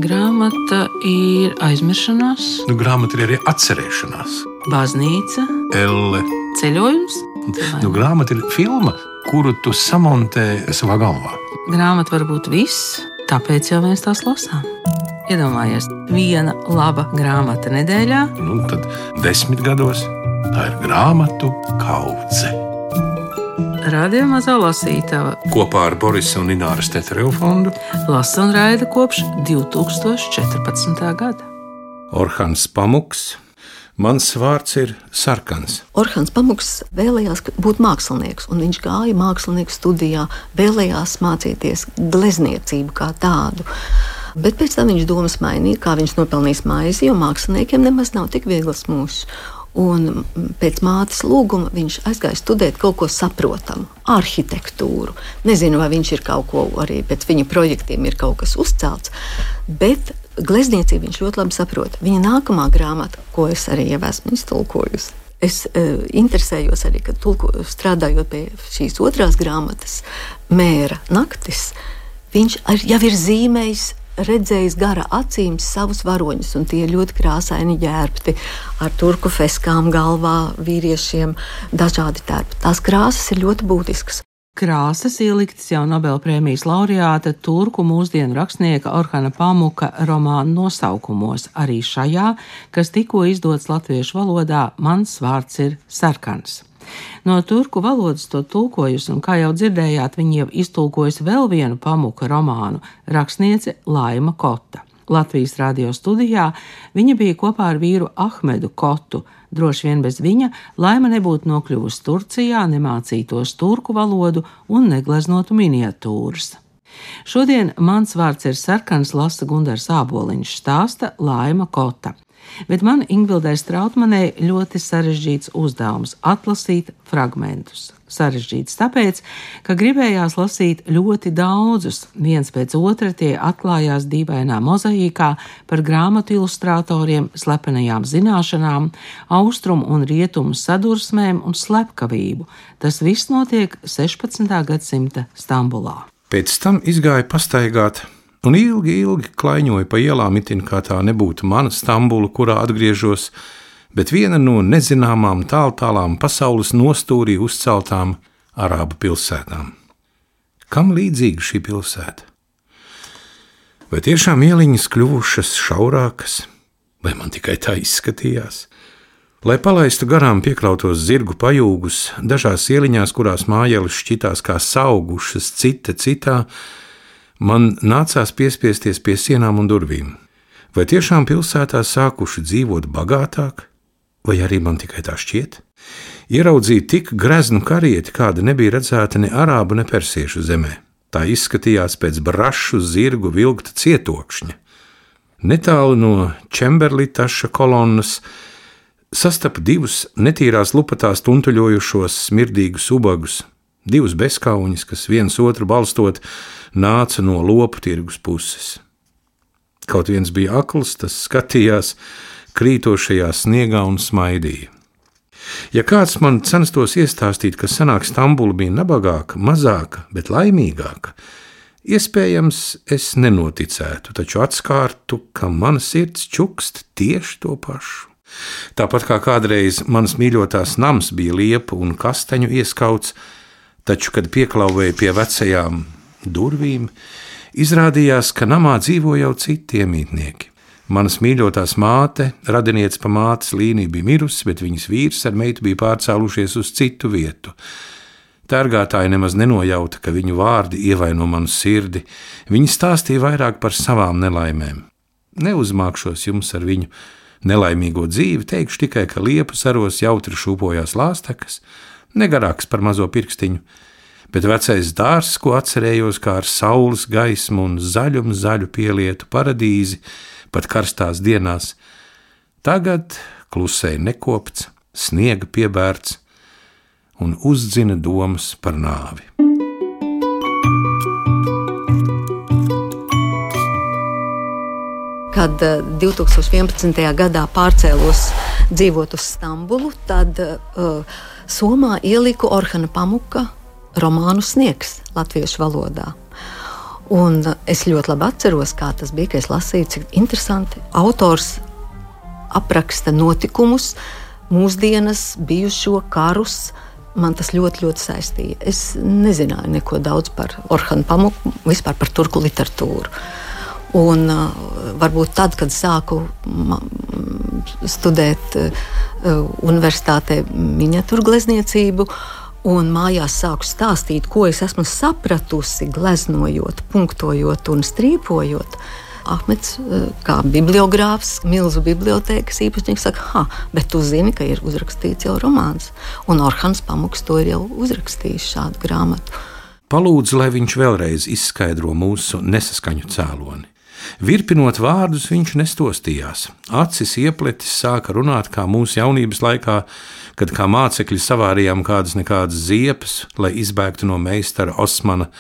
Grāmata ir aizmiršanās, Grāmata ir arī atcerēšanās. baznīca, Elle. ceļojums. Grāmata ir filma, kuru tu samontē savā galvā. Grāmata var būt viss, tāpēc jau mēs tās lasām. Iedomājies, viena laba grāmata nedēļā. Tad 10 gados tā ir grāmatu kaudze. Radio Mazā lasītava Kopā ar Borisa un Ināras Tetereva fondu lasa un raida kopš 2014. gada. Orhans Pamuks. Mans vārds ir Sarkans. Orhans Pamuks vēlējās būt mākslinieks, un viņš gāja mākslinieku studijā, vēlējās mācīties glezniecību kā tādu. Bet pēc tam viņš domas mainīja, kā viņš nopelnīs maizi, jo māksliniekiem nemaz nav tik viegls mūžs. Un pēc mātes lūguma viņš aizgāja studēt kaut ko saprotamu, arhitektūru. Nezinu, vai viņš ir kaut ko arī pēc viņa projektiem ir kaut kas uzcelts, bet glezniecību viņš ļoti labi saprot. Viņa nākamā grāmata, ko es arī jau esmu iztulkojusi, es interesējos arī, kad strādājot pie šīs otrās grāmatas, Mēra naktis, viņš jau ir zīmējis, redzējis gara acīm savus varoņus, un tie ļoti krāsaini ģērbti, ar turku feskām galvā, vīriešiem, dažādi tērpi. Tās krāsas ir ļoti būtiskas. Krāsas ieliktas jau Nobelprēmijas laureāta turku mūsdienu rakstnieka Orhana Pamuka romānu nosaukumos, arī šajā, kas tikko izdots latviešu valodā, Mans vārds ir Sarkans. No turku valodas to tulkojusi, un kā jau dzirdējāt, viņa jau iztulkojusi vēl vienu Pamuka romānu, rakstniece Laima Kota. Latvijas radio studijā viņa bija kopā ar vīru Ahmedu Kotu. Droši vien bez viņa Laima nebūtu nokļuvusi Turcijā, nemācītos turku valodu un negleznotu miniatūras. Šodien Mans vārds ir Sarkans lasa Gundars Āboliņš, stāsta Laima Kota. Bet man Ingvildai Strautmanei ļoti sarežģīts uzdevums – atlasīt fragmentus. Sarežģīts tāpēc, ka gribējās lasīt ļoti daudzus, viens pēc otra tie atklājās dīvainā mozaīkā par grāmatu ilustratoriem, slepenajām zināšanām, austrumu un rietumu sadursmēm un slepkavību. Tas viss notiek 16. gadsimta Stambulā. Pēc tam izgāja pastaigāt un ilgi klaiņoja pa ielām, itin kā tā nebūtu mana Stambula, kurā atgriežos, bet viena no nezināmām tālām pasaules nostūrī uzceltām arābu pilsētām. Kam līdzīga šī pilsēta? Vai tiešām ieliņas kļuvušas šaurākas, vai man tikai tā izskatījās? Lai palaistu garām piekrautos zirgu pajūgus, dažās ieliņās, kurās mājeles šķitās kā saugušas citā, man nācās piespiesties pie sienām un durvīm. Vai tiešām pilsētā sākuši dzīvot bagātāk, vai arī man tikai tā šķiet? Ieraudzīju tik greznu karieti, kāda nebija redzēta ne arābu, ne persiešu zemē. Tā izskatījās pēc brašu zirgu vilkta cietokšņa. Netālu no Čemberlitaša kolonnas sastapu divus netīrās lupatās tuntuļojušos smirdīgus ubagus, divus bezkauņus, kas viens otru balstot, nāca no lopu tirgus puses. Kaut viens bija akls, tas skatījās krītošajā sniegā un smaidīja. Ja kāds man censtos iestāstīt, ka senāk Stambula bija nabagāka, mazāka, bet laimīgāka, iespējams es nenoticētu, taču atskārtu, ka mana sirds čukst tieši to pašu. Tāpat kā kādreiz manas mīļotās nams bija liepu un kasteņu ieskauts, taču, kad pieklauvēja pie vecajām durvīm, izrādījās, ka namā dzīvo jau citi iemītnieki. Manas mīļotās māte, radiniece pa mātes līniju bija mirusi, bet viņas vīrs ar meitu bija pārcēlušies uz citu vietu. Tērgātāji nemaz nenojauta, ka viņu vārdi ievaino manu sirdi. Viņi stāstīja vairāk par savām nelaimēm. Neuzmākšos jums ar viņu nelaimīgo dzīvi, teikšu tikai, ka liepu saros jautri šūpojās lāstekas, negarāks par mazo pirkstiņu, bet vecais dārzs, ko atcerējos kā ar saules gaismu un zaļu pielietu paradīzi, pat karstās dienās, tagad klusēja nekopts, sniega piebērts un uzdzina domas par nāvi. Kad 2011. gadā pārcēlos dzīvot uz Stambulu, tad Somā ieliku Orhana Pamuka romānu Sniegs latviešu valodā. Un es ļoti labi atceros, kā tas bija, ka es lasīju, cik interesanti autors apraksta notikumus, mūsdienas, bijušo karus. Man tas ļoti, ļoti saistīja. Es nezināju neko daudz par Orhanu Pamuku, vispār par turku literatūru. Un varbūt tad, kad sāku studēt universitātē miniatūru glezniecību un mājās sāku stāstīt, ko es esmu sapratusi, gleznojot, punktojot un strīpojot, Ahmeds, kā bibliogrāfs, milzu bibliotēkas īpašnieks, saka, bet tu zini, ka ir uzrakstīts jau romāns, un Orhans Pamuks to ir jau uzrakstījis šādu grāmatu. Palūdzu, lai viņš vēlreiz izskaidro mūsu nesaskaņu cēloni. Virpinot vārdus, viņš nestostījās. Acis iepletis sāka runāt kā mūsu jaunības laikā, kad kā mācekļi savārījām kādas ziepes, lai izbēgtu no meistara Osmana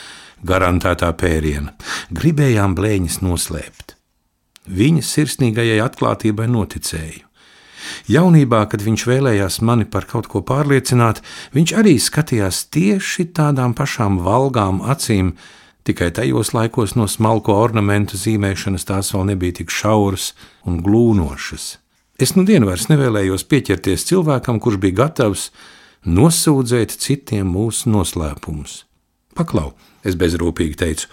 garantētā pēriena. Gribējām blēņas noslēpt. Viņa sirsnīgajai atklātībai noticēju. Jaunībā, kad viņš vēlējās mani par kaut ko pārliecināt, viņš arī skatījās tieši tādām pašām valgām acīm, tikai tajos laikos no smalko ornamentu zīmēšanas tās vēl nebija tik šauras un glūnošas. Es nu dienu vairs nevēlējos pieķerties cilvēkam, kurš bija gatavs nosūdzēt citiem mūsu noslēpumus. Paklau, es bezrūpīgi teicu,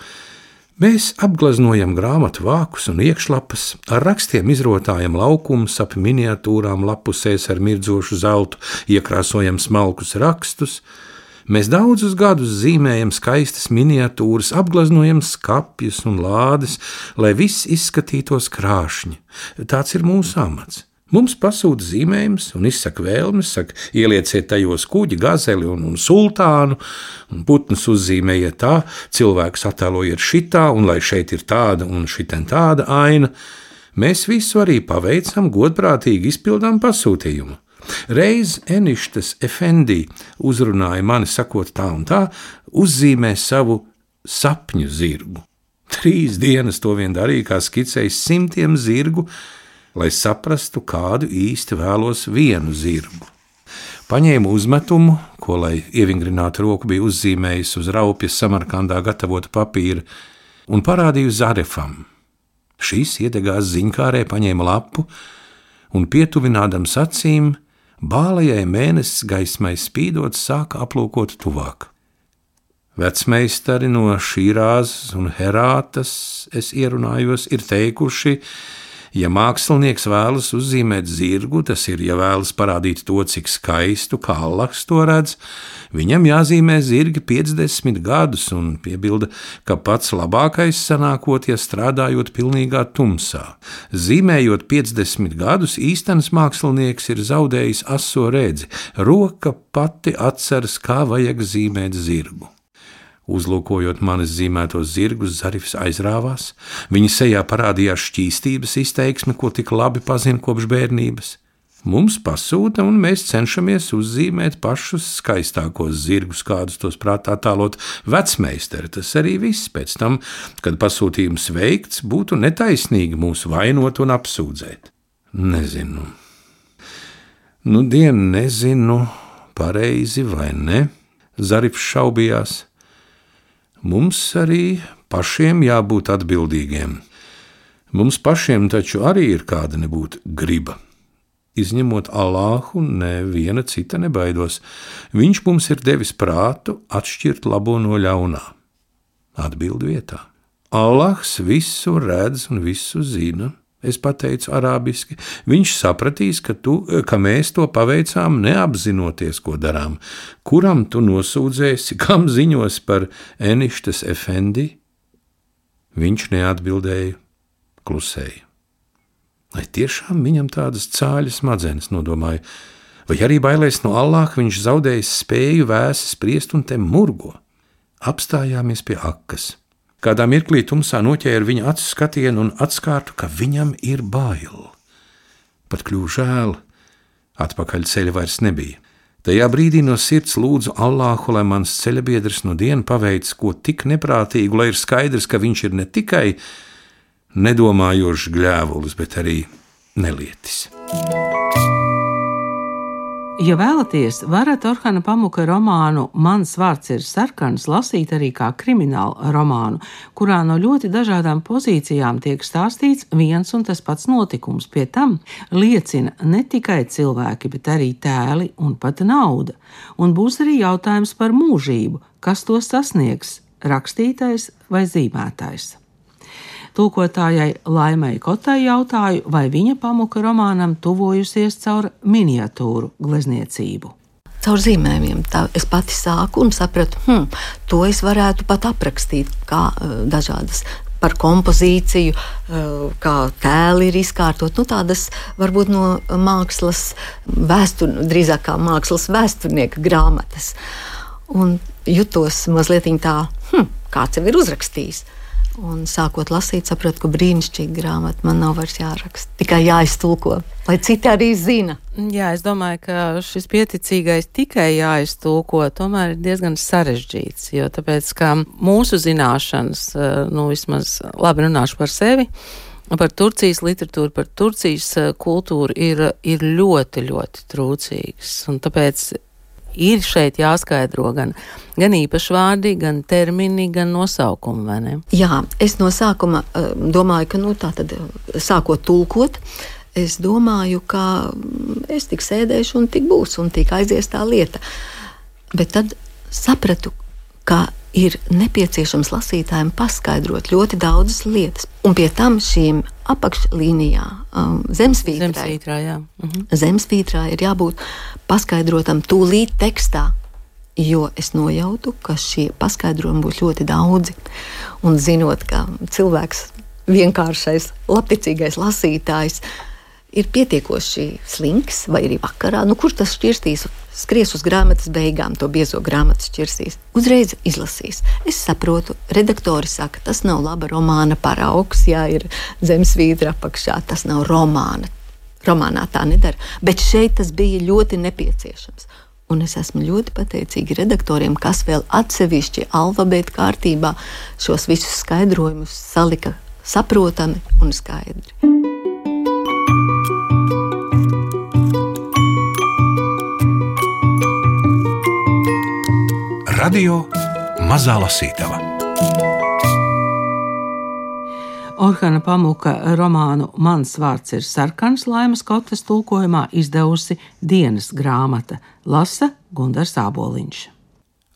mēs apgleznojam grāmatu vākus un iekšlapas, ar rakstiem izrotājam laukumus ap miniatūrām lapusēs ar mirdzošu zeltu, iekrāsojam smalkus rakstus, mēs daudzus gadus zīmējam skaistas miniatūras, apgleznojam skapjus un lādes, lai viss izskatītos krāšņi. Tāds ir mūsu amats. Mums pasūta zīmējums un izsaka vēlmes, saka, ielieciet tajos kuģi, gazeli un sultānu, un putnus uzzīmējiet tā, cilvēkus attēlojiet šitā, un lai šeit ir tāda un šitien tāda aina. Mēs visu arī paveicam, godprātīgi izpildām pasūtījumu. Reiz Eništas Efendī uzrunāja mani, sakot tā un tā, uzzīmē savu sapņu zirgu. 3 dienas to vien darīja, kā skicējis 100 zirgu, lai saprastu, kādu īsti vēlos vienu zirgu. Paņēmu uzmetumu, ko, lai ievingrinātu roku, bija uzzīmējis uz raupjas Samarkandā gatavota papīra, un parādīju Zarefam. Šīs iedegās ziņkārē, paņēma lapu un pietuvinādams acīm, bālajai mēnesis gaismai spīdot, sāka aplūkot tuvāk. Vecmeistari no Šīrāzes un Herātas, es ierunājos, ir teikuši, ja mākslinieks vēlas uzzīmēt zirgu, tas ir, ja vēlas parādīt to, cik skaistu, kā Allahs to redz, viņam jāzīmē zirgi 50 gadus un piebilda, ka pats labākais sanākot, ja strādājot pilnīgā tumsā. Zīmējot 50 gadus, īstenis mākslinieks ir zaudējis aso redzi, roka pati atceras, kā vajag zīmēt zirgu. Uzlūkojot manis zīmētos zirgus, Zarifs aizrāvās. Viņa sejā parādījās šķīstības izteiksme, ko tik labi pazina kopš bērnības. Mums pasūta, un mēs cenšamies uzzīmēt pašus skaistākos zirgus, kādus tos prātā attēlot vecmeistari. Tas arī viss. Pēc tam, kad pasūtījums veikts, būtu netaisnīgi mūs vainot un apsūdzēt. Nezinu. Nezinu, pareizi vai ne, Zarifs šaubījās. Mums arī pašiem jābūt atbildīgiem. Mums pašiem taču arī ir kāda nebūt griba. Izņemot Allāhu, neviena cita nebaidos. Viņš mums ir devis prātu atšķirt labo no ļaunā. Atbild vietā. Allāhs visu redz un visu zina. Es pateicu arābiski. Viņš sapratīs, ka mēs to paveicām neapzinoties, ko darām. Kuram tu nosūdzēsi, kam ziņos par Eništas Efendī? Viņš neatbildēja, klusēja. Vai tiešām viņam tādas cāļas smadzenes, nodomāju, vai arī bailēs no Allāha viņš zaudējis spēju vēsi spriest un te murgo? Apstājāmies pie akas. Kādā mirklī tumsā noķēra viņa acu skatienu un atskārtu, ka viņam ir bail. Pat kļuva žēl, atpakaļ ceļa vairs nebija. Tajā brīdī no sirds lūdzu Allāhu, lai mans ceļabiedrs no dienu paveic ko tik neprātīgu, lai ir skaidrs, ka viņš ir ne tikai nedomājošs gļēvulis, bet arī nelietis. Ja vēlaties, varat Orhana Pamuka romānu Mans vārds ir sarkans lasīt arī kā kriminālu romānu, kurā no ļoti dažādām pozīcijām tiek stāstīts viens un tas pats notikums. Pie tam liecina ne tikai cilvēki, bet arī tēli un pat nauda. Un būs arī jautājums par mūžību, kas to sasniegs – rakstītais vai zīmētais. Tulkotājai Laimai Kotai jautāju, vai viņa Pamuka romānam tuvojusies caur miniatūru glezniecību. Caur zīmējumiem. Tā es pati sāku un sapratu, to es varētu pat aprakstīt kā dažādas par kompozīciju, kā tēli ir izkārtot. Tādas varbūt no mākslas drīzāk kā mākslas vēsturnieka grāmatas. Un jutos mazliet tā, kāds jau ir uzrakstījis. Un sākot lasīt, sapratu, ka brīnišķīga grāmata man nav vairs jāraksta. Tikai jāiztulko, lai citi arī zina. Jā, es domāju, ka šis pieticīgais tikai jāiztulko tomēr ir diezgan sarežģīts, jo tāpēc, ka mūsu zināšanas, vismaz labi runāšu par sevi, par Turcijas literatūru, par Turcijas kultūru ir ļoti, ļoti trūcīgas. Un tāpēc ir šeit jāskaidro gan īpašvārdi, gan termini, gan nosaukumi, vai ne? Jā, es no sākuma domāju, ka tā tad sākot tulkot, es domāju, ka es tik sēdēšu un tik būs, un tik aizies tā lieta. Bet tad sapratu, ka ir nepieciešams lasītājiem paskaidrot ļoti daudzas lietas. Un pie tam šīm apakšlīnijā, zemesvītrā ir jābūt paskaidrotam tūlīt tekstā, jo es nojautu, ka šie paskaidrojumi būs ļoti daudzi. Un zinot, ka cilvēks, vienkāršais, labticīgais lasītājs, ir pietiekoši slinks, vai arī vakarā, kurš tas šķirstīs, skries uz grāmatas beigām, to biezo grāmatu šķirsīs, uzreiz izlasīs. Es saprotu, redaktori saka, tas nav laba romāna paraugs, ja ir zemesvītra apakšā, tas nav romāna. Romānā tā nedara, bet šeit tas bija ļoti nepieciešams. Un es esmu ļoti pateicīga redaktoriem, kas vēl atsevišķi alfabēta kārtībā šos visus skaidrojumus salika saprotami un skaidri. Radio Mazā lasītava. Orhana Pamuka romānu Mans vārds ir sarkans Laimas Kotas tulkojumā izdevusi Dienas grāmata, lasa Gundars Āboliņš.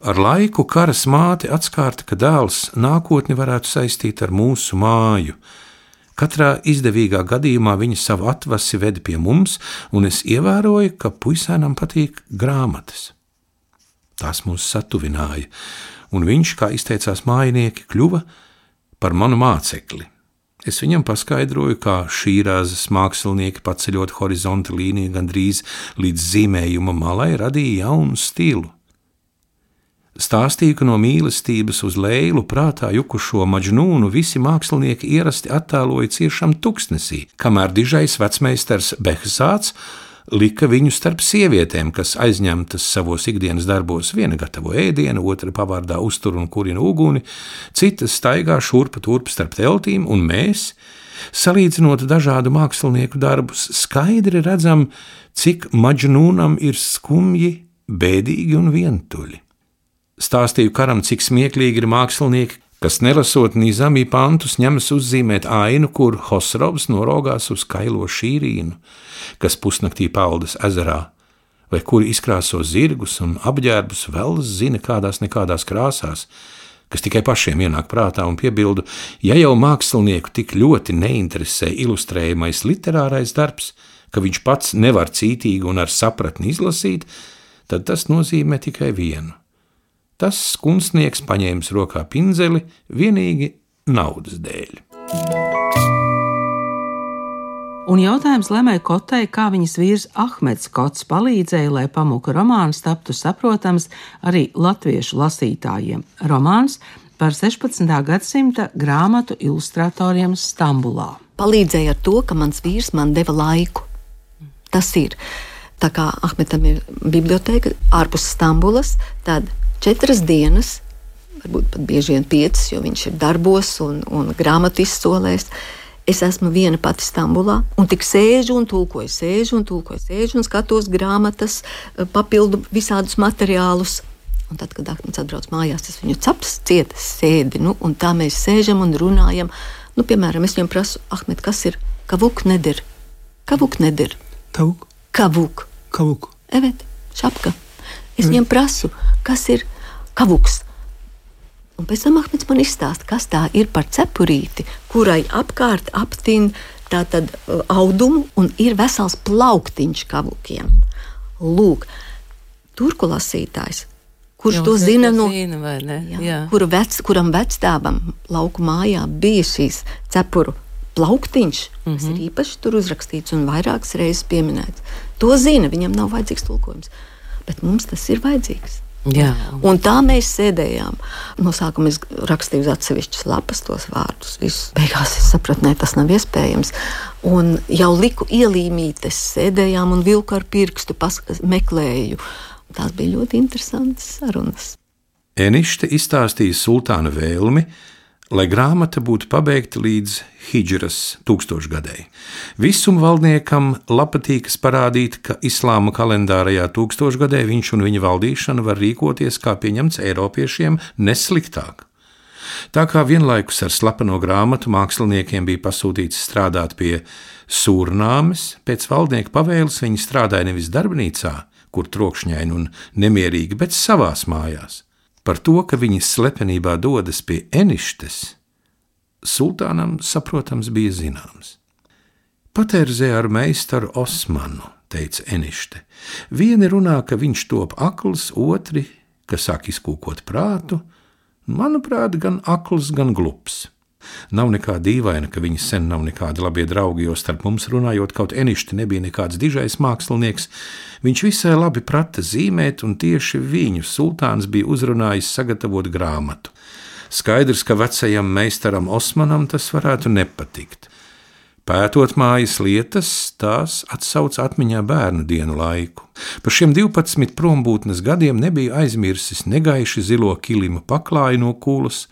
Ar laiku karas māte atskārta, ka dēls nākotni varētu saistīt ar mūsu māju. Katrā izdevīgā gadījumā viņa savu atvasi veda pie mums, un es ievēroju, ka puisēnam patīk grāmatas. Tās mūs satuvināja, un viņš, kā izteicās mājinieki, kļuva par manu mācekli. Es viņam paskaidroju, kā šīrāzes mākslinieki paceļot horizonta līniju gandrīz līdz zīmējuma malai radīja jaunu stilu. Stāstīju, ka no mīlestības uz Leilu prātā jukušo Maģnūnu visi mākslinieki ierasti attēloja ciešam tuksnesī, kamēr dižais vecmeistars Behzāts lika viņu starp sievietēm, kas aizņemtas savos ikdienas darbos, viena gatavo ēdienu, otra pavārdā uztur un kurina uguni, citas staigā šurpa turp starp teltīm, un mēs, salīdzinot dažādu mākslinieku darbus, skaidri redzam, cik Maģnūnam ir skumji, bēdīgi un vientuļi. Stāstīju karam, cik smieklīgi ir mākslinieki, kas nelasot Nizami pantus ņemas uzzīmēt ainu, kur Hosrovs norogās uz kailo šīrīnu, kas pusnaktī peldas ezerā, vai kuri izkrāso zirgus un apģērbus vēl zina kādās krāsās, kas tikai pašiem ienāk prātā, un piebildu, ja jau mākslinieku tik ļoti neinteresē ilustrējamais literārais darbs, ka viņš pats nevar cītīgi un ar sapratni izlasīt, tad tas nozīmē tikai vienu. Tas kunstnieks paņēmis rokā pinzeli vienīgi naudas dēļ. Un jautājums Laimai Kotai, kā viņas vīrs Ahmeds Kots palīdzēja, lai Pamuka romāns taptu saprotams arī latviešu lasītājiem. Romāns par 16. gadsimta grāmatu ilustratoriem Stambulā. Palīdzēja ar to, ka mans vīrs man deva laiku. Tas ir. Tā kā Ahmetam ir biblioteka ārpus Stambulas, tad 4 dienas, varbūt pat bieži vien 5, jo viņš ir darbos un grāmatu izsolēs, Es esmu viena pati Stambulā, un tik sēžu un tulkoju, un skatos grāmatas, papildu visādus materiālus. Un tad, kad Ahmeds atbrauc mājās, es viņu caps cieta sēdi, un tā mēs sēžam un runājam. Piemēram, es viņam prasu, Ahmed, kas ir kavuk nedir? Kavuk nedir. Tavuk? Kavuk. Kavuk. Evet, šapka. Es viņam prasu, kas ir kavuks. Un pēc tam Ahmeds man izstāsta, kas tā ir par cepurīti, kurai apkārt aptin tātad audumu un ir vesels plauktiņš kavukiem. Lūk, turku lasītājs, kurš to zina no... Kuram vecstāvam lauku mājā bija šīs cepuru plauktiņš, kas ir īpaši tur uzrakstīts un vairākas reizes pieminēts. To zina, viņam nav vajadzīgs tulkojums, bet mums tas ir vajadzīgs. Jā. Un tā mēs sēdējām. No sākuma es rakstīju uz atsevišķas lapas tos vārdus. Beigās es sapratu, ne, tas nav iespējams. Un jau liku ielīmītes, sēdējām un vilku ar pirkstu, meklēju. Tās bija ļoti interesantas sarunas. Enište izstāstīja sultāna vēlmi, lai grāmata būtu pabeigta līdz Hidžras 1000-gadēji. Visumvaldniekam patīkas parādīt, ka islāma kalendārajā 1000-gadē viņš un viņa valdīšana var rīkoties, kā pieņemts Eiropiešiem, nesliktāk. Tā kā vienlaikus ar slepeno grāmatu māksliniekiem bija pasūtīts strādāt pie Sūrnāmes, pēc valdnieka pavēles viņi strādāja nevis darbnīcā, kur trokšņaini un nemierīgi, bet savās mājās. Par to, ka viņi slepenībā dodas pie Eništes, sultānam, saprotams, bija zināms. Paterzē ar meistaru Osmanu, teica Enište. Vieni runā, ka viņš top akls, otri, ka sāk izkūkot prātu. Manuprāt, gan akls, gan glups. Nav nekā dīvaina, ka viņi sen nav nekādi labie draugi, jo starp mums runājot, kaut Enište nebija nekāds dižais mākslinieks. Viņš visai labi prata zīmēt, un tieši viņu sultāns bija uzrunājis sagatavot grāmatu. Skaidrs, ka vecajam meistaram Osmanam tas varētu nepatikt. Pētot mājas lietas, tās atsauc atmiņā bērnu dienu laiku. Pa šiem 12 prombūtnes gadiem nebija aizmirsis negaiši zilo kilima paklāju no kulas,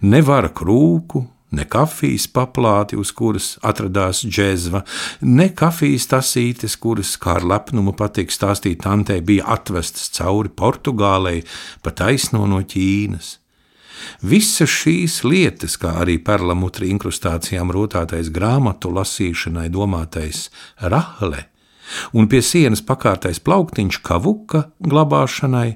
ne vara krūku, ne kafijas paplāti, uz kuras atradās džezva, ne kafijas tasītes, kuras, kā ar lepnumu patīk stāstīt tantei, bija atvestas cauri Portugālei, pa taisno no Ķīnas. Visas šīs lietas, kā arī perlamutri inkrustācijām rotātais grāmatu lasīšanai domātais rahle un pie sienas pakārtais plauktiņš kavuka glabāšanai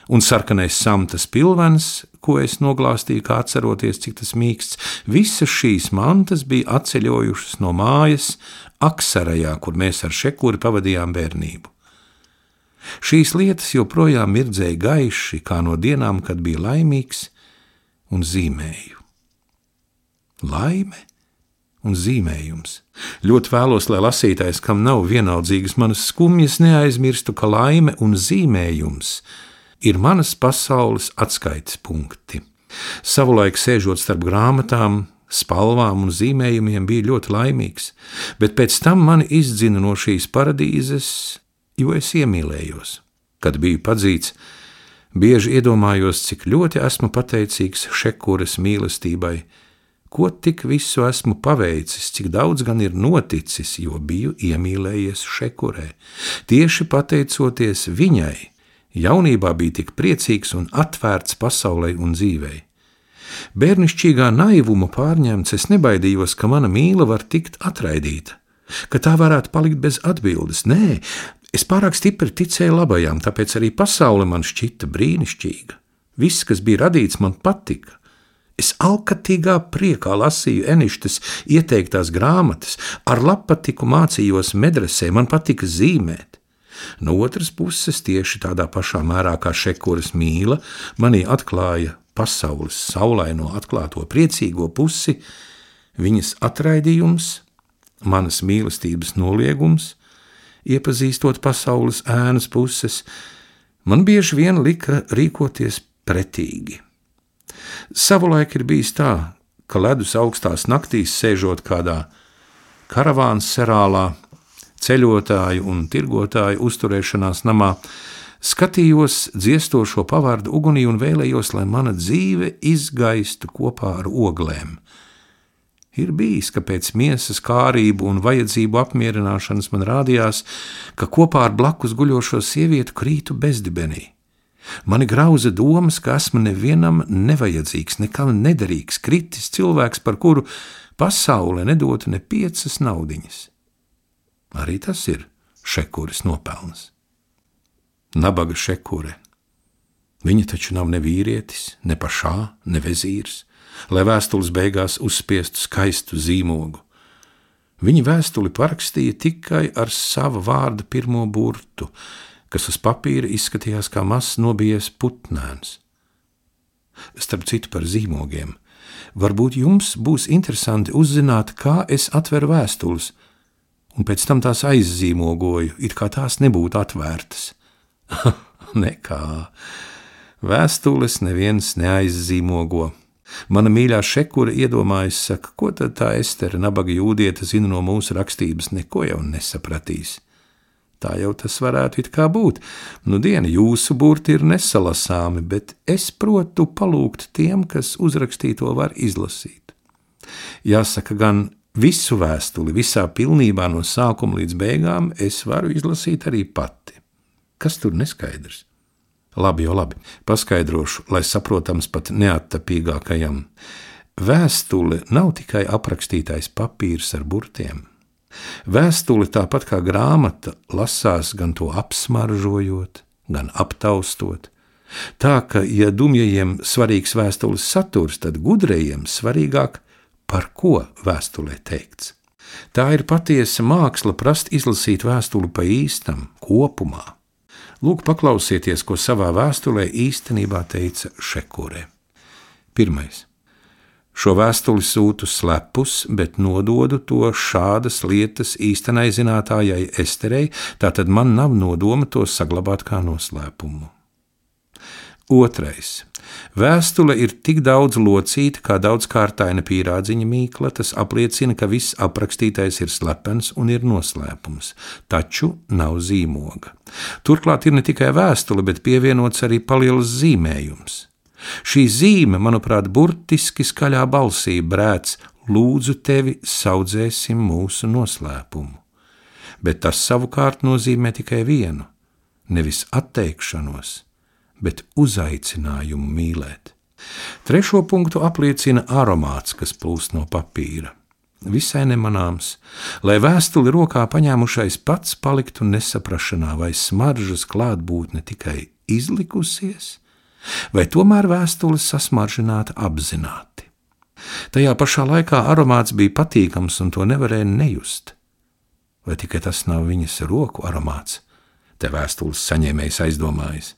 un sarkanais samtas pilvens, ko es noglāstīju, kā atceroties, cik tas mīksts, visas šīs mantas bija atceļojušas no mājas Aksarajā, kur mēs ar Šekuri pavadījām bērnību. Šīs lietas joprojām mirdzēja gaiši, kā no dienām, kad bija laimīgs, un zīmēju. Laime un zīmējums. Ļoti vēlos, lai lasītājs, kam nav vienaldzīgas manas skumjas, neaizmirstu, ka laime un zīmējums ir manas pasaules atskaites punkti. Savulaik sēžot starp grāmatām, spalvām un zīmējumiem bija ļoti laimīgs, bet pēc tam mani izdzina no šīs paradīzes, jo es iemīlējos. Kad biju padzīts, bieži iedomājos, cik ļoti esmu pateicīgs Šekuras mīlestībai, ko tik visu esmu paveicis, cik daudz gan ir noticis, jo biju iemīlējies Šekurē. Tieši pateicoties viņai, jaunībā bija tik priecīgs un atvērts pasaulei un dzīvei. Bērnišķīgā naivuma pārņemts, es nebaidījos, ka mana mīla var tikt atraidīta, ka tā varētu palikt bez atbildes. Nē, es pārāk stipri ticēju labajām, tāpēc arī pasaule man šķita brīnišķīga. Viss, kas bija radīts, man patika. Es alkatīgā priekā lasīju Eništes ieteiktās grāmatas, ar labpatiku mācījos medresē, man patika zīmēt. No otras puses, tieši tādā pašā mērā kā Šekuras mīla, manī atklāja pasaules saulaino atklāto priecīgo pusi, viņas atraidījums, manas mīlestības noliegums, iepazīstot pasaules ēnas puses, man bieži vien lika rīkoties pretīgi. Savulaik ir bijis tā, ka ledus augstās naktīs sēžot kādā karavāns serālā, ceļotāju un tirgotāju uzturēšanās namā, skatījos dziestošo pavārdu ugunī un vēlējos, lai mana dzīve izgaistu kopā ar oglēm. Ir bijis, ka pēc miesas kārību un vajadzību apmierināšanas man rādījās, ka kopā ar blakus guļošo sievietu krītu bezdibenī. Mani grauza domas, ka esmu nevienam nevajadzīgs, nekam nederīgs, kritis cilvēks, par kuru pasaule nedotu ne 5 naudiņas. Arī tas ir Šekuras nopelns. Nabaga Šekure. Viņa taču nav ne vīrietis, ne pašā, ne vezīrs, lai vēstules beigās uzspiestu skaistu zīmogu. Viņa vēstuli parakstīja tikai ar sava vārda pirmo burtu, kas uz papīra izskatījās kā mazs nobijies putnēns. Starp citu par zīmogiem. Varbūt jums būs interesanti uzzināt, kā es atveru vēstules, un pēc tam tās aizzīmogoju, it kā tās nebūtu atvērtas. Nekā. Vēstules neviens neaizzīmogo. Mana mīļā Šekura iedomājas, saka, ko tad tā Estere, nabaga jūdiete, zina no mūsu rakstības, neko jau nesapratīs. Tā jau tas varētu it kā būt. Nu diena, jūsu burti ir nesalasāmi, bet es protu palūgt tiem, kas uzrakstīto var izlasīt. Jāsaka, gan visu vēstuli, visā pilnībā no sākuma līdz beigām es varu izlasīt arī pati. Kas tur neskaidrs? Labi, paskaidrošu, lai saprotams pat neattapīgākajam. Vēstule nav tikai aprakstītais papīrs ar burtiem. Vēstule tāpat kā grāmata lasās gan to apsmaržojot, gan aptaustot. Tā, ka, ja dumjajiem svarīgs vēstules saturs, tad gudrajiem svarīgāk, par ko vēstulē teikts. Tā ir patiesa māksla prast izlasīt vēstuli pa īstam, kopumā. Lūk, paklausieties, ko savā vēstulē īstenībā teica Šekure. 1. Šo vēstuli sūtu slepus, bet nododu to šādas lietas īstenai zinātājai Esterei, tātad man nav nodoma to saglabāt kā noslēpumu. 2. Vēstule ir tik daudz locīta, kā daudzkārtaina pīrādziņa mīkla, tas apliecina, ka viss aprakstītais ir slepens un ir noslēpums, taču nav zīmoga. Turklāt ir ne tikai vēstule, bet pievienots arī paliels zīmējums. Šī zīme, manuprāt, burtiski skaļā balsī brēc: lūdzu tevi, saudzēsim mūsu noslēpumu. Bet tas savukārt nozīmē tikai vienu, nevis atteikšanos, bet uzaicinājumu mīlēt. 3. punktu apliecina aromāts, kas plūst no papīra. Visai nemanāms, lai vēstuli rokā paņēmušais pats paliktu nesaprašanā, vai smaržas klātbūtne tikai izlikusies, vai tomēr vēstules sasmaržināta apzināti. Tajā pašā laikā aromāts bija patīkams un to nevarēja nejust. Vai tikai tas nav viņas roku aromāts? Te vēstules saņēmējs aizdomājas.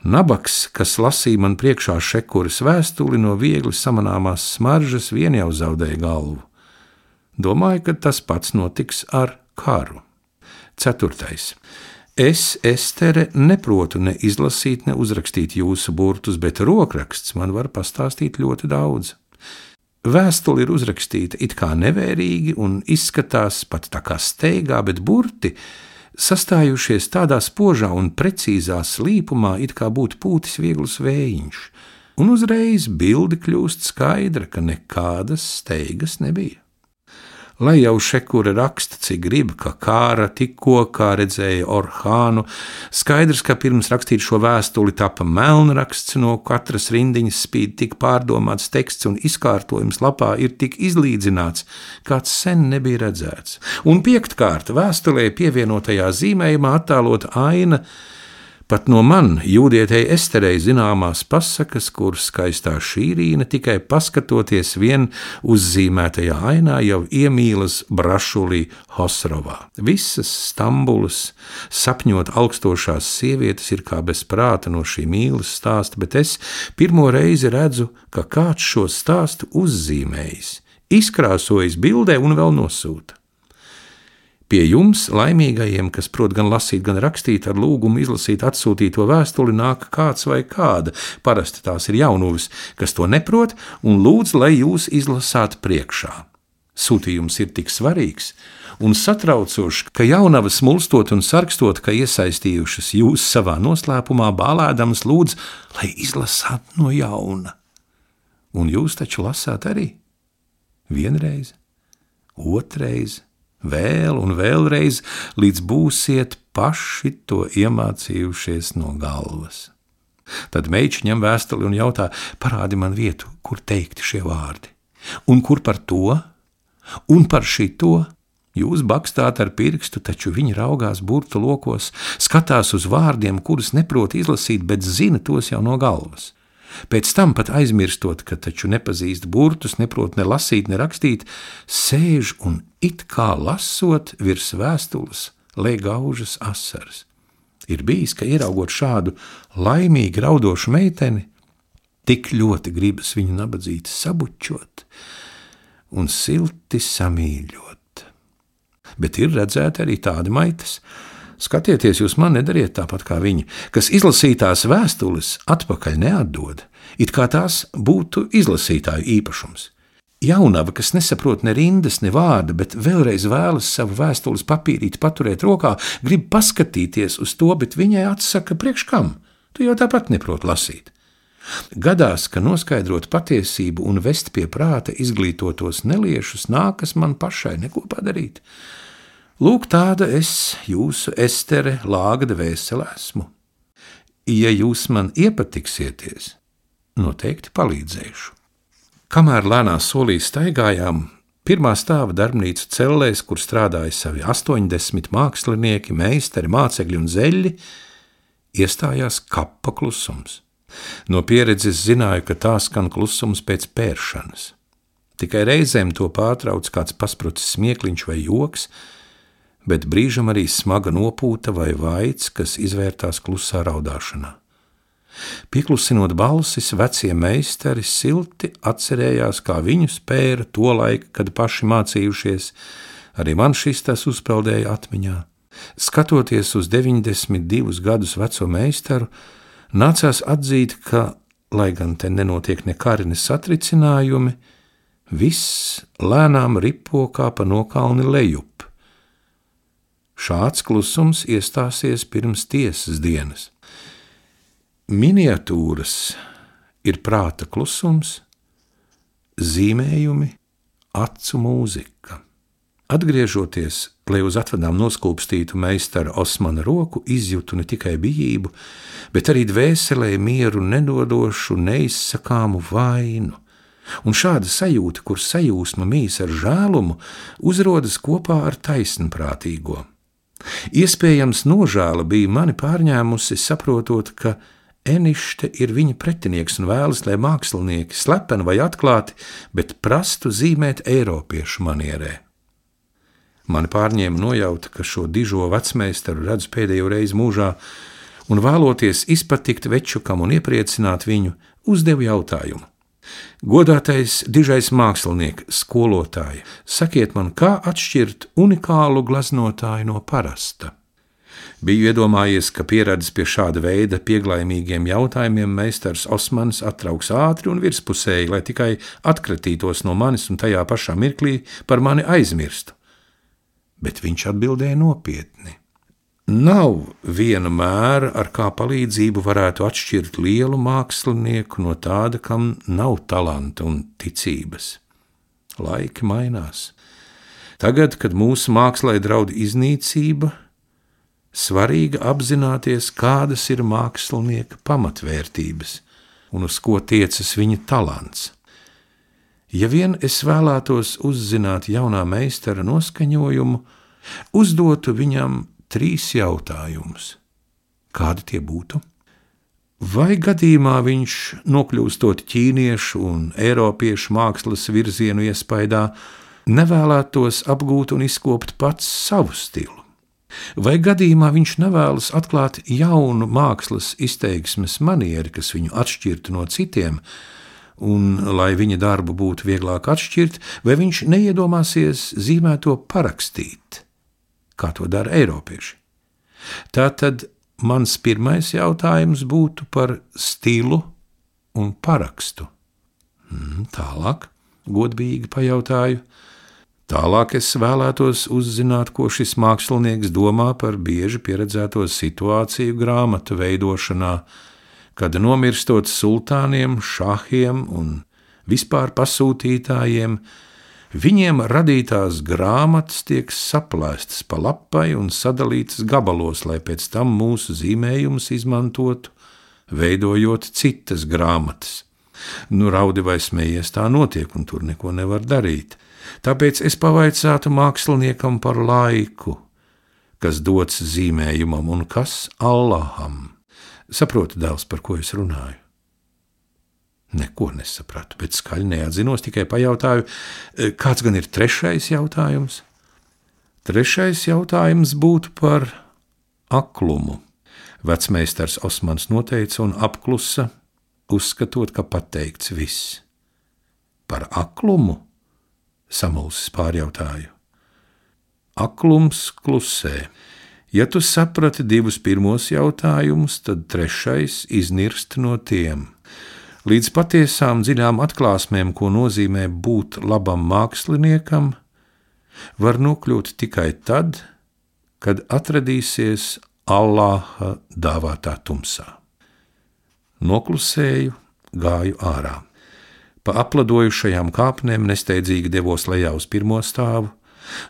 Nabaks, kas lasīja man priekšā Šekuras vēstuli, no viegli samanāmās smaržas vien jau zaudēja galvu. Domāju, ka tas pats notiks ar karu. 4. Es, Estere, neprotu ne izlasīt, ne uzrakstīt jūsu burtus, bet rokraksts man var pastāstīt ļoti daudz. Vēstuli ir uzrakstīta it kā nevērīgi un izskatās pat tā kā steigā, bet burti sastājušies tādā spožā un precīzā slīpumā, it kā būtu pūtis viegls vējiņš, un uzreiz bilde kļūst skaidra, ka nekādas steigas nebija. Lai jau Šekure raksta, cik grib, ka kāra tikko, kā redzēja Orhānu, skaidrs, ka pirms rakstīt šo vēstuli tapa melnraksts, no katras rindiņas spīd tik pārdomāts teksts un izkārtojums lapā ir tik izlīdzināts, kāds sen nebija redzēts. Un 5. vēstulē pievienotajā zīmējumā attēlota aina, pat no man, jūdietei Esterei, zināmās pasakas, kur skaistā šīrīna tikai paskatoties vien uzzīmētajā ainā jau iemīlas Brašulī Hosrovā. Visas Stambulas sapņot augstošās sievietes ir kā bez prāta no šī mīlas stāsta, bet es pirmo reizi redzu, ka kāds šo stāstu uzzīmējis, izkrāsojis bildē un vēl nosūta. Pie jums, laimīgajiem, kas prot gan lasīt, gan rakstīt, ar lūgumu izlasīt atsūtīto vēstuli, nāk kāds vai kāda, parasti tās ir jaunuvis, kas to neprot, un lūdz, lai jūs izlasāt priekšā. Sūtījums ir tik svarīgs un satraucošs, ka jaunavas mulstot un sarkstot, ka iesaistījušas jūs savā noslēpumā, bālēdamas lūdz, lai izlasāt no jauna. Un jūs taču lasāt arī? Vienreiz, otrais, vēl un vēlreiz, līdz būsiet paši to iemācījušies no galvas. Tad meiča ņem vēstuli un jautā: parādi man vietu, kur teikti šie vārdi. Un kur par to? Un par šito? Jūs bakstāt ar pirkstu, taču viņi raugās burtu lokos, skatās uz vārdiem, kurus neprot izlasīt, bet zina tos jau no galvas. Pēc tam pat aizmirstot, ka taču nepazīst burtus, neprot ne lasīt, ne rakstīt, sēž un it kā lasot virs vēstules lej gaužas asaras. Ir bijis, ka ieraugot šādu laimīgi raudošu meiteni, tik ļoti gribas viņu nabadzīti sabučot un silti samīļot. Bet ir redzēti arī tādi maitas. Skatieties, jūs man nedariet tāpat kā viņi, kas izlasītās vēstules atpakaļ neatdod, it kā tās būtu izlasītāju īpašums. Jaunava, kas nesaprot ne rindas, ne vārda, bet vēlreiz vēlas savu vēstules papīrīti paturēt rokā, grib paskatīties uz to, bet viņai atsaka: priekš kam? Tu jau tāpat neprot lasīt. Gadās, ka noskaidrot patiesību un vest pie prāta izglītotos neliešus nākas man pašai neko padarīt. Lūk, tāda es, jūsu Estere, lāga dvēsele esmu. Ja jūs man iepatiksieties, noteikti palīdzēšu. Kamēr lēnā solī staigājām, pirmā stāva darbnīcu cellēs, kur strādāja savi 80 mākslinieki, meistari, mācekļi un zeļļi, iestājās kapa klusums. No pieredzes zināju, ka tā skan klusums pēc pēršanas. Tikai reizēm to pārtrauc kāds pasprucis smiekliņš vai joks, bet brīžam arī smaga nopūta vai vaids, kas izvērtās klusā raudāšanā. Pieklusinot balsis, vecie meistari silti atcerējās, kā viņu spēra to laiku, kad paši mācījušies. Arī man šis tas uzpeldēja atmiņā. Skatoties uz 92 gadus veco meistaru, nācās atzīt, ka, lai gan te nenotiek ne kari, ne satricinājumi, viss lēnām ripo kā pa nokalni lejup. Šāds klusums iestāsies pirms tiesas dienas. Miniatūras ir prāta klusums, zīmējumi, acu mūzika. Atgriežoties, lai uz atvadām noskūpstītu meistara Osmana roku, izjūtu ne tikai bijību, bet arī dvēselē mieru nedodošu, neizsakāmu vainu. Un šāda sajūta, kur sajūsma mīs ar žēlumu, uzrodas kopā ar taisnprātīgo. Iespējams, nožēla bija mani pārņēmusi, saprotot, ka Enište ir viņa pretinieks un vēlas, lai mākslinieki slepeni vai atklāti, bet prastu zīmēt eiropiešu manierē. Mani pārņēma nojauta, ka šo dižo vecmeistaru redzu pēdējo reizi mūžā, un vēloties izpatikt večukam un iepriecināt viņu, uzdevu jautājumu. Godātais dižais mākslinieks, skolotāji, sakiet man, kā atšķirt unikālu gleznotāju no parasta? Biju iedomājies, ka pieradis pie šāda veida pieglaimīgiem jautājumiem meistars Osmans attrauks ātri un virspusēji, lai tikai atkratītos no manis un tajā pašā mirklī par mani aizmirstu. Bet viņš atbildēja nopietni. Nav viena mēra, ar kā palīdzību varētu atšķirt lielu mākslinieku no tāda, kam nav talanta un ticības. Laiki mainās. Tagad, kad mūsu mākslai draud iznīcība, svarīgi apzināties, kādas ir mākslinieka pamatvērtības un uz ko tiecas viņa talants. Ja vien es vēlētos uzzināt jaunā meistara noskaņojumu, uzdotu viņam 3 jautājumus. Kādi tie būtu? Vai gadījumā viņš, nokļūstot ķīniešu un eiropiešu mākslas virzienu iespaidā, nevēlētos apgūt un izkopt pats savu stilu? Vai gadījumā viņš nevēlas atklāt jaunu mākslas izteiksmes manieri, kas viņu atšķirtu no citiem, un, lai viņa darbu būtu vieglāk atšķirt, vai viņš neiedomāsies zīmēto parakstīt, kā to dara eiropieši? Tātad mans pirmais jautājums būtu par stilu un parakstu. Tālāk, godīgi pajautāju. Tālāk es vēlētos uzzināt, ko šis mākslinieks domā par bieži pieredzēto situāciju grāmatu veidošanā, kad nomirstot sultāniem, šahiem un vispār pasūtītājiem, Viņiem radītās grāmatas tiek saplēstas pa lapai un sadalītas gabalos, lai pēc tam mūsu zīmējumus izmantotu, veidojot citas grāmatas. Raudi vai smējies, tā notiek, un tur neko nevar darīt. Tāpēc es pavaicātu māksliniekam par laiku, kas dots zīmējumam un kas Allaham. Saproti, dēls, par ko es runāju? Neko nesapratu, bet skaļi neatzinos, tikai pajautāju, kāds gan ir trešais jautājums? Trešais jautājums būtu par aklumu. Vecmeistars Osmans noteica un apklusa, uzskatot, ka pateikts viss. Par aklumu? Samulsis pārjautāju. Aklums klusē. Ja tu saprati divus pirmos jautājumus, tad trešais iznirst no tiem. Līdz patiesām dziļām atklāsmēm, ko nozīmē būt labam māksliniekam, var nokļūt tikai tad, kad atradīsies Allāha dāvātā tumsā. Noklusēju, gāju ārā. Pa apladojušajām kāpnēm nesteidzīgi devos lejā uz pirmo stāvu,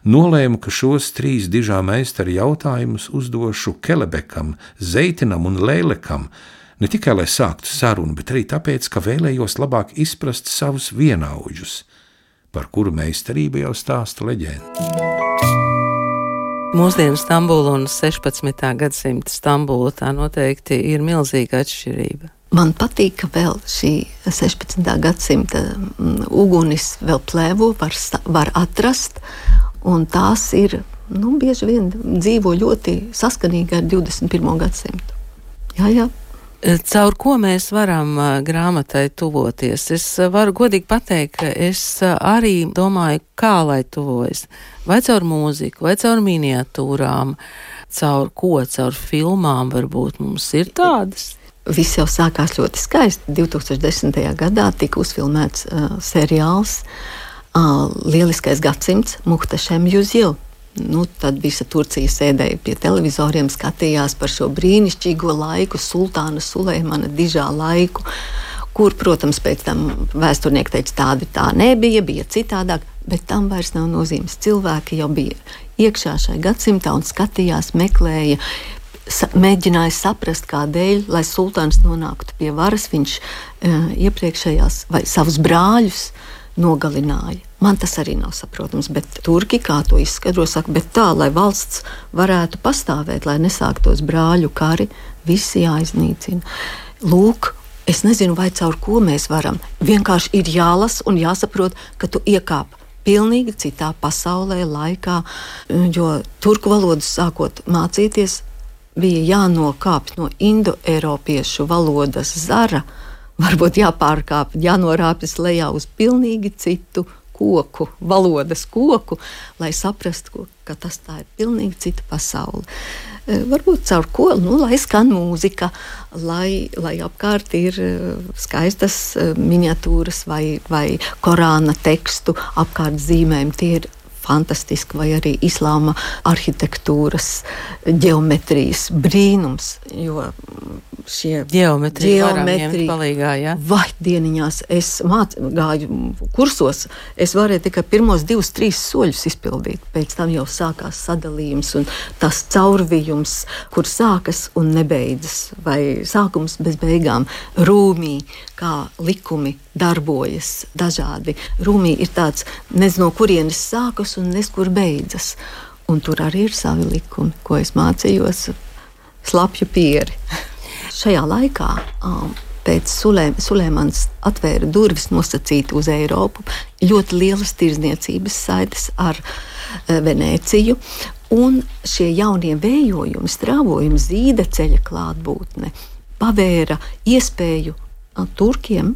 nolēmu, ka šos 3 dižā meistara jautājumus uzdošu Kelebekam, Zeitinam un Leilekam, ne tikai lai sāktu sarunu, bet arī tāpēc, ka vēlējos labāk izprast savus vienaudžus, par kuru meistarību jau stāsta leģenda. Mūsdienu Stambula un 16. gadsimta Stambula tā noteikti ir milzīga atšķirība. Man patīk, ka vēl šī 16. gadsimta ugunis vēl plēvo, var atrast, un tās ir, bieži vien dzīvo ļoti saskanīgi ar 21. gadsimtu. Jā. Caur ko mēs varam grāmatai tuvoties? Es varu godīgi pateikt, ka es arī domāju, kā lai tuvojas. Vai caur mūziku, vai caur miniatūrām, caur ko, caur filmām varbūt mums ir tādas? Viss jau sākās ļoti skaisti. 2010. gadā tika uzfilmēts seriāls Lieliskais gadsimts Muhteşem Yüzyıl. Tad visa Turcija sēdēja pie televizoriem, skatījās par šo brīnišķīgo laiku, sultāna Suleimana dižā laiku, kur, protams, pēc tam vēsturnieki teica, tādi tā nebija, bija citādāk, bet tam vairs nav nozīmes. Cilvēki jau bija iekšā šai gadsimtā un skatījās, meklēja, mēģināja saprast, kādēļ, lai sultāns nonāktu pie varas, viņš iepriekšējās vai savus brāļus nogalināja. Man tas arī nav saprotams, bet turki, kā to izskaidro, saka, bet tā, lai valsts varētu pastāvēt, lai nesāktos brāļu kari, visi jāiznīcina. Lūk, es nezinu, vai caur ko mēs varam. Vienkārši ir jālasa un jāsaprot, ka tu iekāp pilnīgi citā pasaulē, laikā, jo turku valodu sākot mācīties, bija jānokāpt no indoeiropiešu valodas zara, varbūt jāpārkāp, jānorāpjas lejā uz pilnīgi citu koku, valodas koku, lai saprastu, ka tas tā ir pilnīgi cita pasaule. Varbūt caur ko, lai skan mūzika, lai apkārt ir skaistas miniatūras vai Korāna tekstu apkārt zīmēm, tie ir fantastiski, vai arī islāma arhitektūras, ģeometrijas brīnums, jo šie ģeometrija palīgā, ja? Vai dieniņās es gāju kursos, es varēju tikai pirmos 2-3 soļus izpildīt, pēc tam jau sākās sadalījums un tas caurvijums, kur sākas un nebeidzas, vai sākums bez beigām. Rūmī, kā likumi darbojas dažādi. Rūmī ir tāds, nezinu, no kurienes sākas un neskur beidzas. Un tur arī ir savi likumi, ko es mācījos slapju pieri. Šajā laikā pēc Suleimans atvēra durvis nosacīti uz Eiropu, ļoti lielas tirdzniecības saites ar Venēciju, un šie jaunie vējojumi, strāvojumi, zīdeceļa klātbūtne pavēra iespēju turkiem,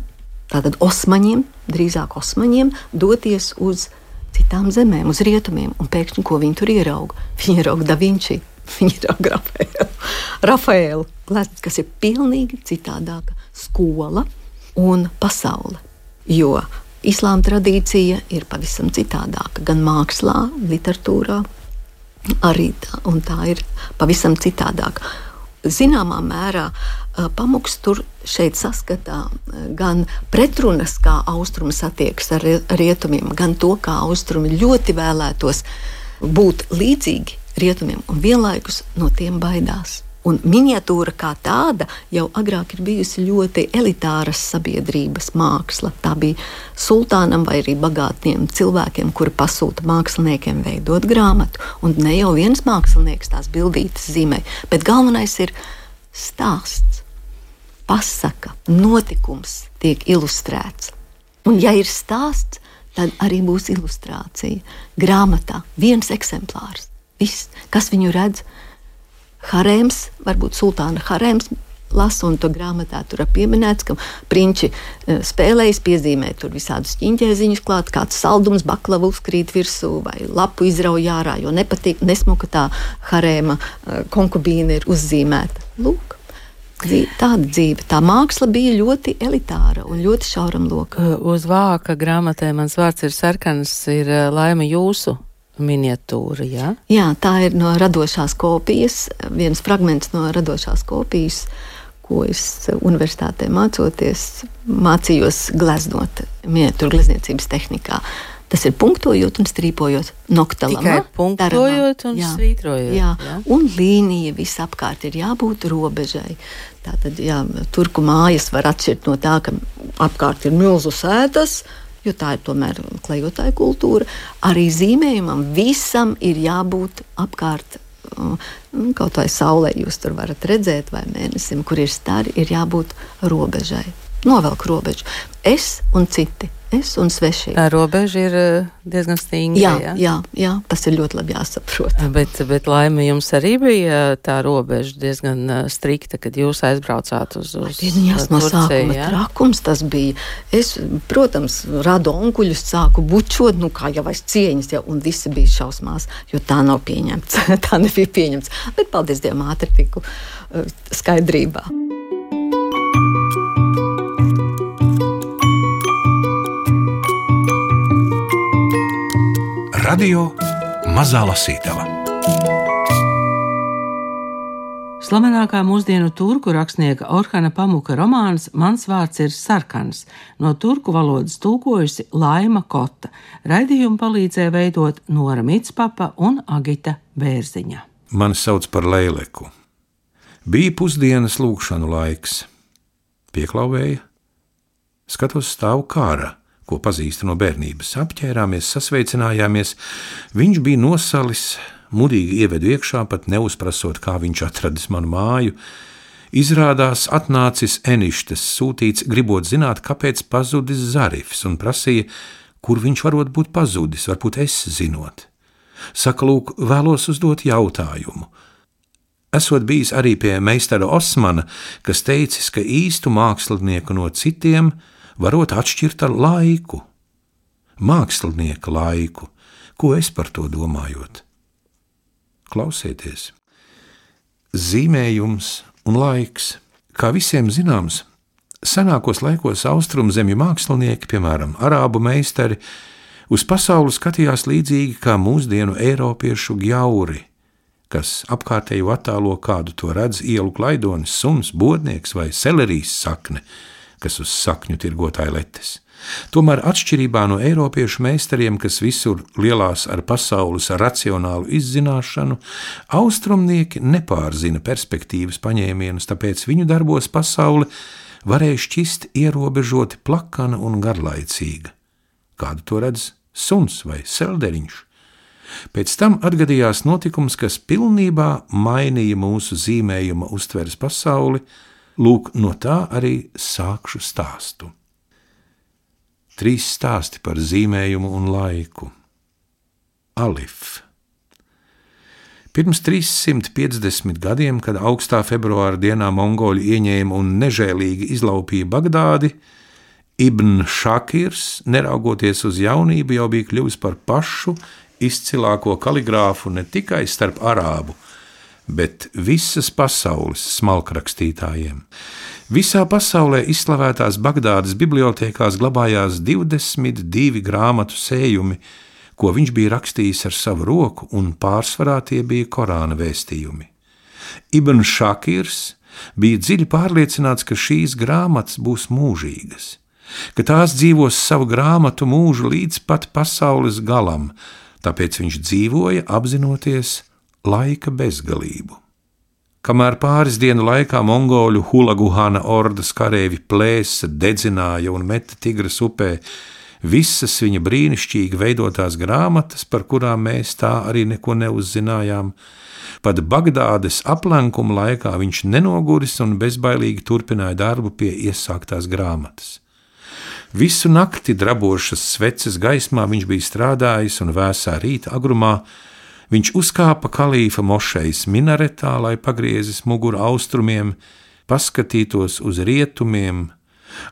tātad osmaņiem, drīzāk osmaņiem, doties uz citām zemēm, uz rietumiem, un pēkšņi, ko viņi tur ierauga? Viņi ierauga Da Vinci, viņi ierauga Rafaelu, kas ir pilnīgi citādāka skola un pasaule, jo islāma tradīcija ir pavisam citādāka, gan mākslā, literatūrā, arī tā, un tā ir pavisam citādāka. zināmā mērā Pamuks tur šeit saskatā gan pretrunas, kā austrumi satiekas ar rietumiem, gan to, kā austrumi ļoti vēlētos būt līdzīgi rietumiem un vienlaikus no tiem baidās. Un miniatūra kā tāda jau agrāk ir bijusi ļoti elitāras sabiedrības māksla. Tā bija sultānam vai arī bagātiem cilvēkiem, kuri pasūta māksliniekiem veidot grāmatu. Un ne jau viens mākslinieks tās bildītes zīmē, bet galvenais ir stāsts, pasaka, notikums tiek ilustrēts. Un ja ir stāsts, tad arī būs ilustrācija. Grāmatā viens eksemplārs. Viss, kas viņu redz, harēms, varbūt sultāna harēms lasa, un to grāmatā tur ir pieminēts, ka prinči spēlējas, piezīmē tur visādus ķiņķēziņus klāt, kāds saldums, baklava uzkrīt virsū vai lapu izrauj ārā, jo nepatīk, nesmuka tā harēma konkubīna ir uzzīmēta. Lūk. Tāda dzīve, tā māksla bija ļoti elitāra un ļoti šauram lokam. Uz vāka grāmatē Mans vārds ir sarkans ir Laima jūsu miniatūra, jā? Jā, tā ir no radošās kopijas, viens fragments no radošās kopijas, ko es universitātē mācījos gleznot miniatūru glezniecības tehnikā. Tas ir punktojot un strīpojot noktalamā. Tikai punktojot un svītrojot. Jā, un līnija visapkārt ir jābūt robežai. Tātad, turku mājas var atšķirt no tā, ka apkārt ir milzu sētas, jo tā ir tomēr klejotāja kultūra. Arī zīmējumam visam ir jābūt apkārt, kaut vai saulē jūs tur varat redzēt, vai mēnesim, kur ir stari, ir jābūt robežai. Novelk robežu. Es un citi. Es un svešie. Tā robeža ir diezgan stingra. Jā, tas ir ļoti labi jāsaprot. Bet Laima, jums arī bija tā robeža diezgan strikta, kad jūs aizbraucāt uz Turciju. No sākuma trakums tas bija. Es, protams, radu onkuļus sāku bučot, kā jau aiz cieņas, un visi bija šausmās, jo tā nav pieņemts. Tā nebija pieņemts. Bet paldies Dievam, ātri tiku skaidrībā. Radio Mazā Lasītava. Slavenākā mūsdienu turku rakstnieka Orhana Pamuka romāns Mans vārds ir sarkans, no turku valodas tulkojusi Laima Kota. Raidījumu palīdzēja veidot Nora Mitspapa un Agita Bērziņa. Mani sauc par Leileku. Bija pusdienas lūgšanu laiks. Pieklauvēja, skatos stāvu Kāra, ko pazīstu no bērnības. Apķērāmies, sasveicinājāmies. Viņš bija nosalis, mudīgi ievedu iekšā, pat neuzprasot, kā viņš atradis manu māju. Izrādās atnācis eništes sūtīts, gribot zināt, kāpēc pazudis Zarifs, un prasīja, kur viņš varot būt pazudis, varbūt es zinot. Saka, lūk, vēlos uzdot jautājumu. Esot bijis arī pie meistara Osmana, kas teicis, ka īstu mākslinieku no citiem varot atšķirt ar laiku, mākslinieka laiku, ko es par to domājot. Klausieties, zīmējums un laiks, kā visiem zināms, senākos laikos austrumzemju mākslinieki, piemēram, arābu meistari, uz pasauli skatījās līdzīgi kā mūsdienu eiropiešu gjauri, kas apkārtēju attēlo kādu to redz ielu klaidonis, suns, bodnieks vai selerijas sakne, kas uz sakņu tirgotāja letes. Tomēr atšķirībā no eiropiešu meistariem, kas visur lielās ar pasaules racionālu izzināšanu, austrumnieki nepārzina perspektīvas paņēmienus, tāpēc viņu darbos pasaule varēja šķist ierobežoti plakana un garlaicīga. Kādu to redz suns vai selderiņš. Pēc tam atgadījās notikums, kas pilnībā mainīja mūsu zīmējuma uztveres pasauli. Lūk, no tā arī sākšu stāstu. 3 stāsti par zīmējumu un laiku. Alif. Pirms 350 gadiem, kad augstā februāra dienā mongoļi ieņēma un nežēlīgi izlaupīja Bagdādi, Ibn Šakirs, neraugoties uz jaunību, jau bija kļuvis par pašu izcilāko kaligrāfu ne tikai starp arābu, bet visas pasaules smalkrakstītājiem. Visā pasaulē izslavētās Bagdādas bibliotēkās glabājās 22 grāmatu sējumi, ko viņš bija rakstījis ar savu roku, un pārsvarā tie bija Korāna vēstījumi. Ibn Šakirs bija dziļi pārliecināts, ka šīs grāmatas būs mūžīgas, ka tās dzīvos savu grāmatu mūžu līdz pat pasaules galam, tāpēc viņš dzīvoja apzinoties laika bezgalību. Kamēr pāris dienu laikā mongoļu Hulaguhana ordas kareivji plēsa, dedzināja un meta Tigras upē visas viņa brīnišķīgi veidotās grāmatas, par kurām mēs tā arī neko neuzzinājām, pat Bagdādes aplenkuma laikā viņš nenoguris un bezbailīgi turpināja darbu pie iesāktās grāmatas. Visu nakti drabošas sveces gaismā viņš bija strādājis un vēsā rīta agrumā viņš uzkāpa kalīfa mošejas minaretā, lai pagriezis muguru austrumiem, paskatītos uz rietumiem,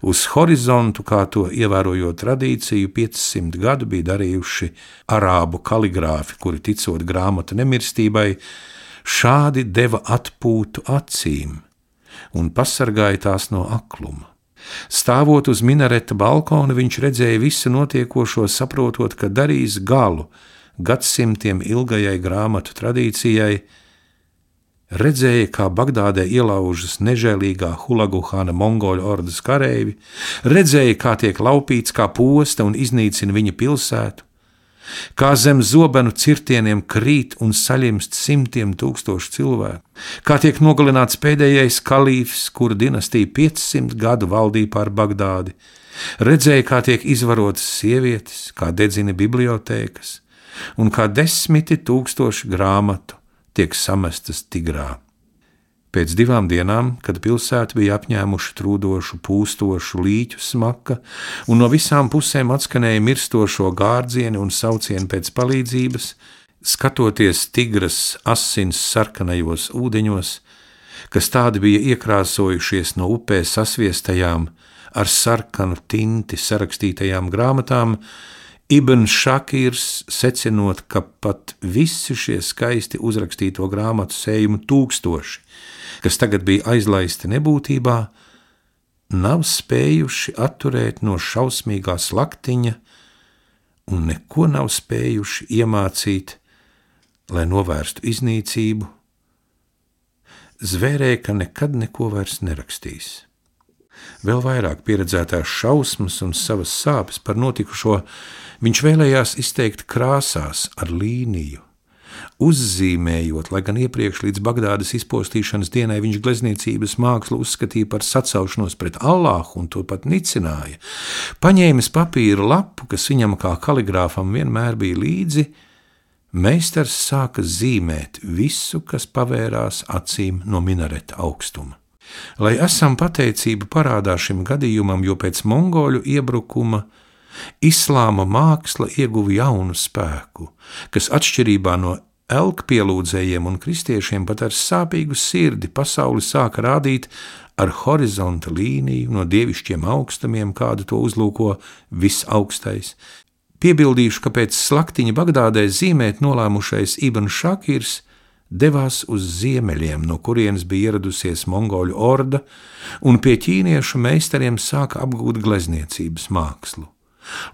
uz horizontu, kā to ievērojot tradīciju 500 gadu bija darījuši arābu kaligrāfi, kuri ticot grāmatu nemirstībai, šādi deva atpūtu acīm un pasargāja tās no akluma. Stāvot uz minareta balkona, viņš redzēja visu notiekošo, saprotot, ka darīs galu gadsimtiem ilgajai grāmatu tradīcijai, redzēja, kā Bagdādē ielaužas nežēlīgā Hulaguhana mongoļu ordas kareivi, redzēja, kā tiek laupīts kā posta un iznīcina viņa pilsētu, kā zem zobenu cirtieniem krīt un saļimst simtiem tūkstošu cilvēku, kā tiek nogalināts pēdējais kalīfs, kura dinastija 500 gadu valdīja pār Bagdādi, redzēja, kā tiek izvarotas sievietes, kā dedzina bibliotēkas, un kā 10 000 grāmatu tiek samestas Tigrā. Pēc 2 dienām, kad pilsētu bija apņēmuši trūdošu, pūstošu līķu smaka, un no visām pusēm atskanēja mirstošo gārdzieni un saucieni pēc palīdzības, skatoties Tigras asins sarkanajos ūdeņos, kas tādi bija iekrāsojušies no upē sasviestajām ar sarkanu tinti sarakstītajām grāmatām, Ibn Šakirs, secinot, ka pat visi šie skaisti uzrakstīto grāmatu sējumu tūkstoši, kas tagad bija aizlaisti nebūtībā, nav spējuši atturēt no šausmīgā slaktiņa un neko nav spējuši iemācīt, lai novērstu iznīcību, zvērēja, ka nekad neko vairs nerakstīs. Vēl vairāk pieredzētās šausmas un savas sāpes par notikušo viņš vēlējās izteikt krāsās ar līniju, uzzīmējot, lai gan iepriekš līdz Bagdādas izpostīšanas dienai viņš glezniecības mākslu uzskatīja par sacaušanos pret Allāhu un to pat nicināja. Paņēmis papīra lapu, kas viņam kā kaligrāfam vienmēr bija līdzi, meistars sāka zīmēt visu, kas pavērās acīm no minareta augstuma. Lai esam pateicību parādā šim gadījumam, jo pēc mongoļu iebrukuma islāma māksla ieguva jaunu spēku, kas atšķirībā no elkpielūdzējiem un kristiešiem pat ar sāpīgu sirdi pasauli sāka rādīt ar horizonta līniju no dievišķiem augstumiem, kādu to uzlūko visaugstais. Piebildīšu, ka pēc slaktiņa Bagdādē zīmēt nolēmušais Ibn Šakirs devās uz ziemeļiem, no kurienes bija ieradusies mongoļu orda, un pie ķīniešu meistariem sāka apgūt glezniecības mākslu.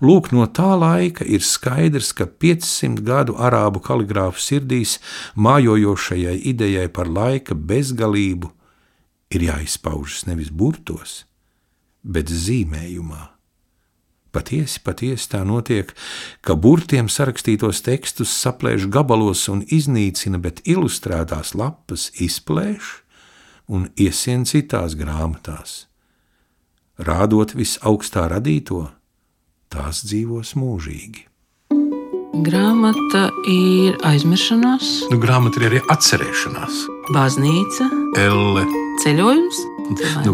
Lūk, no tā laika ir skaidrs, ka 500 gadu arābu kaligrāfu sirdīs mājojošajai idejai par laika bezgalību ir jāizpaužas nevis burtos, bet zīmējumā. Patiesi tā notiek, ka burtiem sarakstītos tekstus saplēš gabalos un iznīcina, bet ilustrētās lapas izplēš un iesien citās grāmatās. Rādot visaugstā radīto, tās dzīvos mūžīgi. Grāmata ir aizmiršanās, Grāmata ir arī atcerēšanās. baznīca, Elle. ceļojums.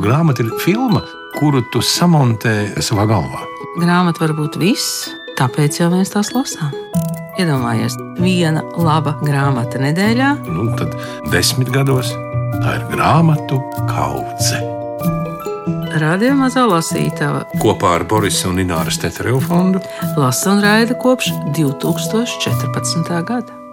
Grāmata ir filma, kuru tu samontē savā galvā. Grāmata var būt viss, tāpēc jau mēs tās lasām. Iedomājies, viena laba grāmata nedēļā. Tad 10 gados tā ir grāmatu kaudze. Radio Mazā lasītava Kopā ar Borisa un Ināras Tetereva fondu lasa un raida kopš 2014. gada.